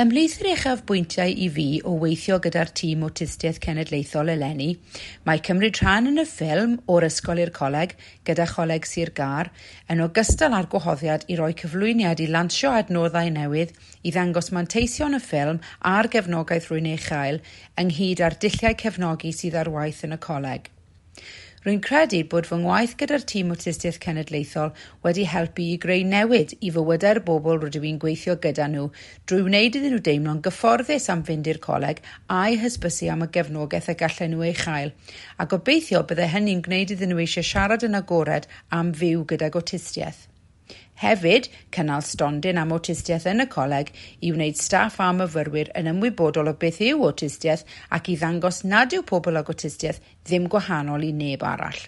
Ymhlith yr uchafbwyntiau i fi o weithio gyda'r tîm Awtistiaeth Cenedlaethol eleni, mae cymryd rhan yn y ffilm O'r Ysgol i'r Coleg gyda Choleg Sir Gâr, yn ogystal â'r gwahoddiad i roi cyflwyniad i lansio adnoddau newydd i ddangos manteision y ffilm a'r gefnogaeth rwy'n ei chael, ynghyd â'r dulliau cefnogi sydd ar waith yn y coleg. Rwy'n credu bod fy ngwaith gyda'r tîm Awtistiaeth Cenedlaethol wedi helpu i greu newid i fywydau'r bobl rydw i'n gweithio gyda nhw drwy wneud iddyn nhw deimlo'n gyfforddus am fynd i'r coleg a'u hysbysu am y gefnogaeth y gallen nhw ei chael, a gobeithio byddai hynny'n gwneud iddyn nhw eisiau siarad yn agored am fyw gydag awtistiaeth. Hefyd, cynnal stondin am awtistiaeth yn y coleg i wneud staff a myfyrwyr yn ymwybodol o beth yw awtistiaeth ac i ddangos nad yw pobl ag awtistiaeth ddim gwahanol i neb arall.